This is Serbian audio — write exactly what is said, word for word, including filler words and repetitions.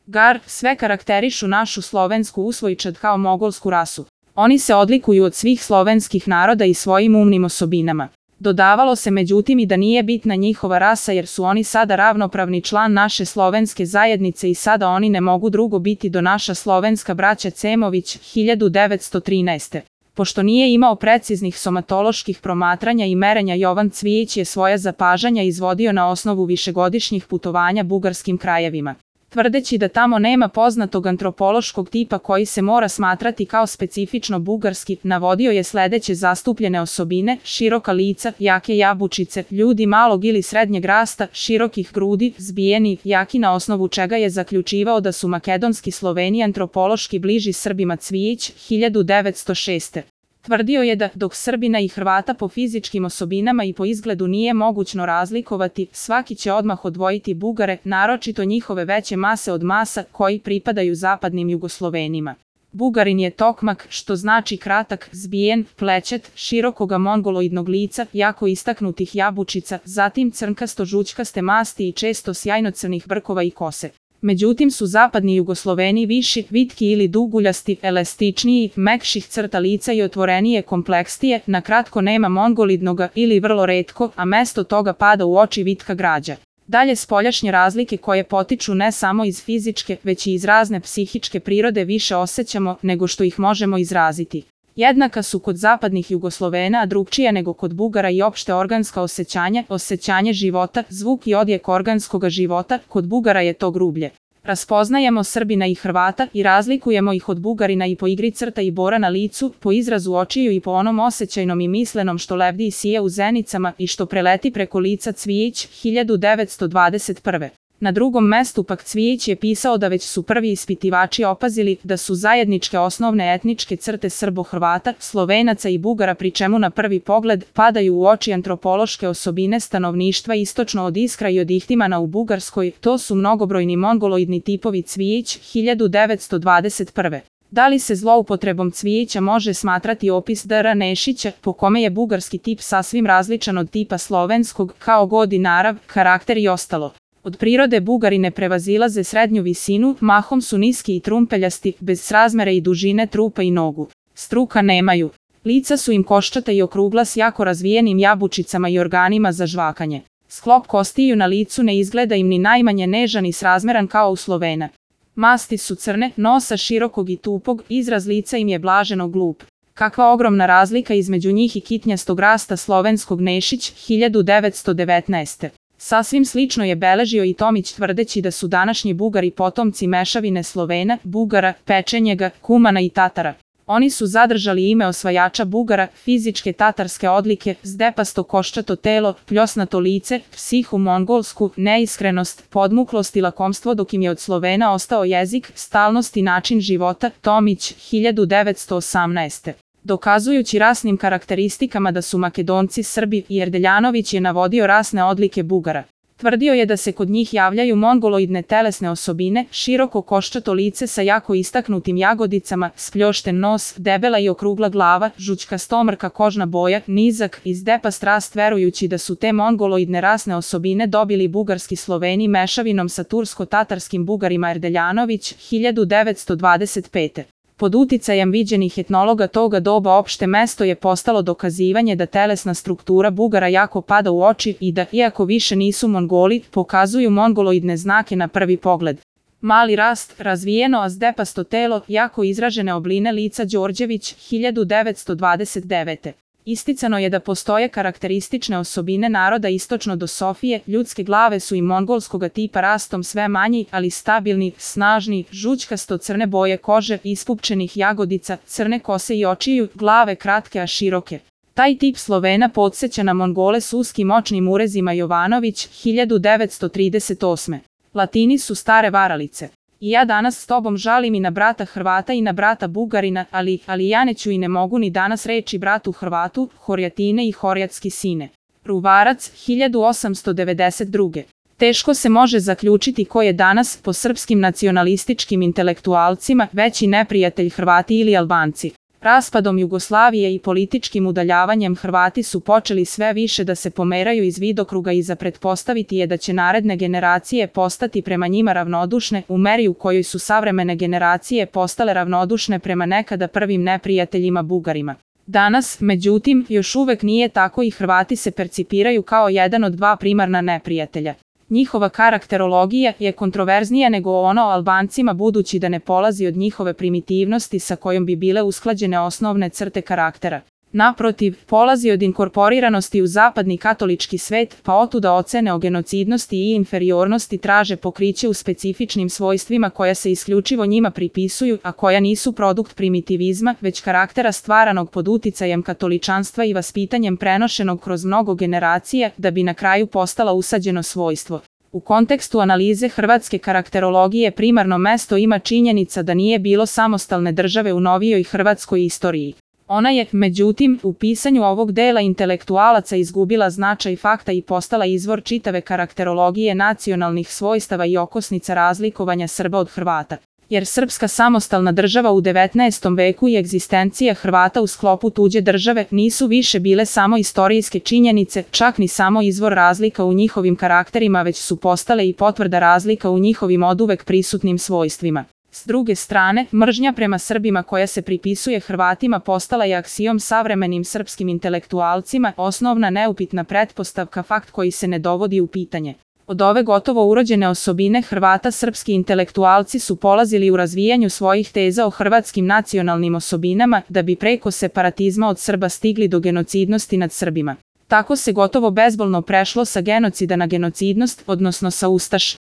Gar, sve karakterišu našu slovensku usvojčad kao mogolsku rasu. Oni se odlikuju od svih slovenskih naroda i svojim umnim osobinama. Dodavalo se međutim i da nije bitna njihova rasa jer su oni sada ravnopravni član naše slovenske zajednice i sada oni ne mogu drugo biti do naša slovenska braća Cemović hiljadu devetsto trinaeste. Pošto nije imao preciznih somatoloških promatranja i merenja, Jovan Cvijić je svoja zapažanja izvodio na osnovu višegodišnjih putovanja bugarskim krajevima. Tvrdeći da tamo nema poznatog antropološkog tipa koji se mora smatrati kao specifično bugarski, navodio je sledeće zastupljene osobine: široka lica, jake jabučice, ljudi malog ili srednjeg rasta, širokih grudi, zbijeni, jaki, na osnovu čega je zaključivao da su makedonski Sloveni antropološki bliži Srbima. Cvijić hiljadu devetsto šeste. Tvrdio je da, dok Srbina i Hrvata po fizičkim osobinama i po izgledu nije mogućno razlikovati, svaki će odmah odvojiti Bugare, naročito njihove veće mase od masa koji pripadaju zapadnim Jugoslovenima. Bugarin je tokmak, što znači kratak, zbijen, plećat, širokoga mongoloidnog lica, jako istaknutih jabučica, zatim crnkasto-žućkaste masti i često sjajno crnih brkova i kose. Međutim su zapadni Jugosloveni viši, vitki ili duguljasti, elastičniji, mekših crta lica i otvorenije, kompleksnije, na kratko nema mongolidnoga ili vrlo retko, a mesto toga pada u oči vitka građa. Dalje, spoljašnje razlike koje potiču ne samo iz fizičke, već i iz razne psihičke prirode više osjećamo nego što ih možemo izraziti. Jednaka su kod zapadnih Jugoslovena, a drugčija nego kod Bugara i opšte organska osjećanja, osjećanje života, zvuk i odjek organskoga života, kod Bugara je to grublje. Raspoznajemo Srbina i Hrvata i razlikujemo ih od Bugarina i po igri crta i bora na licu, po izrazu očiju i po onom osjećajnom i mislenom što lebdi i sije u zenicama i što preleti preko lica. Cvijić hiljadu devetsto dvadeset prve. Na drugom mestu pak Cvijić je pisao da već su prvi ispitivači opazili da su zajedničke osnovne etničke crte Srbo-Hrvata, Slovenaca i Bugara, pri čemu na prvi pogled padaju u oči antropološke osobine stanovništva istočno od Iskra i od Ihtimana u Bugarskoj, to su mnogobrojni mongoloidni tipovi. Cvijić hiljadu devetsto dvadeset prve. Da li se zloupotrebom Cvijića može smatrati opis D R Nešića, po kome je bugarski tip sasvim različan od tipa slovenskog, kao god i narav, karakter i ostalo? Od prirode Bugari ne prevazilaze srednju visinu, mahom su niski i trumpeljasti, bez srazmere i dužine trupa i nogu. Struka nemaju. Lica su im koščata i okrugla s jako razvijenim jabučicama i organima za žvakanje. Sklop kostiju na licu ne izgleda im ni najmanje nežan i srazmeran kao u Slovena. Masti su crne, nosa širokog i tupog, izraz lica im je blaženo glup. Kakva ogromna razlika između njih i kitnjastog rasta slovenskog. Nešić hiljadu devetsto devetnaeste. Sasvim slično je beležio i Tomić, tvrdeći da su današnji Bugari potomci mešavine Slovena, Bugara, Pečenjega, Kumana i Tatara. Oni su zadržali ime osvajača Bugara, fizičke tatarske odlike, zdepasto koščato telo, pljosnato lice, psihu mongolsku, neiskrenost, podmuklost i lakomstvo, dok im je od Slovena ostao jezik, stalnost i način života. Tomić hiljadu devetsto osamnaeste. Dokazujući rasnim karakteristikama da su Makedonci Srbi, Erdeljanović je navodio rasne odlike Bugara. Tvrdio je da se kod njih javljaju mongoloidne telesne osobine, široko koščato lice sa jako istaknutim jagodicama, spljošten nos, debela i okrugla glava, žućkastomrka kožna boja, nizak i zdepast rast, verujući da su te mongoloidne rasne osobine dobili bugarski Sloveni mešavinom sa tursko-tatarskim Bugarima. Erdeljanović hiljadu devetsto dvadeset pete. Pod uticajem viđenih etnologa toga doba opšte mesto je postalo dokazivanje da telesna struktura Bugara jako pada u oči i da, iako više nisu Mongoli, pokazuju mongoloidne znake na prvi pogled. Mali rast, razvijeno a zdepasto telo, jako izražene obline lica. Đorđević hiljadu devetsto dvadeset devete. Isticano je da postoje karakteristične osobine naroda istočno do Sofije, ljudske glave su i mongolskoga tipa, rastom sve manji, ali stabilni, snažni, žućkasto crne boje kože, ispupčenih jagodica, crne kose i očiju, glave kratke a široke. Taj tip Slovena podseća na Mongole s uskim očnim urezima. Jovanović hiljadu devetsto trideset osme. Latini su stare varalice. I ja danas s tobom žalim i na brata Hrvata i na brata Bugarina, ali, ali ja neću i ne mogu ni danas reći bratu Hrvatu, Horjatine i Horjatski sine. Ruvarac hiljadu osamsto devedeset druge. Teško se može zaključiti ko je danas, po srpskim nacionalističkim intelektualcima, veći neprijatelj, Hrvati ili Albanci. Raspadom Jugoslavije i političkim udaljavanjem Hrvati su počeli sve više da se pomeraju iz vidokruga i za pretpostaviti je da će naredne generacije postati prema njima ravnodušne u meri u kojoj su savremene generacije postale ravnodušne prema nekada prvim neprijateljima Bugarima. Danas, međutim, još uvek nije tako i Hrvati se percipiraju kao jedan od dva primarna neprijatelja. Njihova karakterologija je kontroverznija nego ono o Albancima budući da ne polazi od njihove primitivnosti sa kojom bi bile usklađene osnovne crte karaktera. Naprotiv, polazi od inkorporiranosti u zapadni katolički svet, pa otuda ocene o genocidnosti i inferiornosti traže pokriće u specifičnim svojstvima koja se isključivo njima pripisuju, a koja nisu produkt primitivizma, već karaktera stvaranog pod uticajem katoličanstva i vaspitanjem prenošenog kroz mnogo generacija, da bi na kraju postala usađeno svojstvo. U kontekstu analize hrvatske karakterologije primarno mesto ima činjenica da nije bilo samostalne države u novijoj hrvatskoj istoriji. Ona je, međutim, u pisanju ovog dela intelektualaca izgubila značaj fakta i postala izvor čitave karakterologije nacionalnih svojstava i okosnica razlikovanja Srba od Hrvata. Jer srpska samostalna država u devetnaestom veku i egzistencija Hrvata u sklopu tuđe države nisu više bile samo istorijske činjenice, čak ni samo izvor razlika u njihovim karakterima, već su postale i potvrda razlika u njihovim oduvek prisutnim svojstvima. S druge strane, mržnja prema Srbima koja se pripisuje Hrvatima postala je aksijom savremenim srpskim intelektualcima, osnovna neupitna pretpostavka, fakt koji se ne dovodi u pitanje. Od ove gotovo urođene osobine Hrvata srpski intelektualci su polazili u razvijanju svojih teza o hrvatskim nacionalnim osobinama, da bi preko separatizma od Srba stigli do genocidnosti nad Srbima. Tako se gotovo bezbolno prešlo sa genocida na genocidnost, odnosno sa ustaš.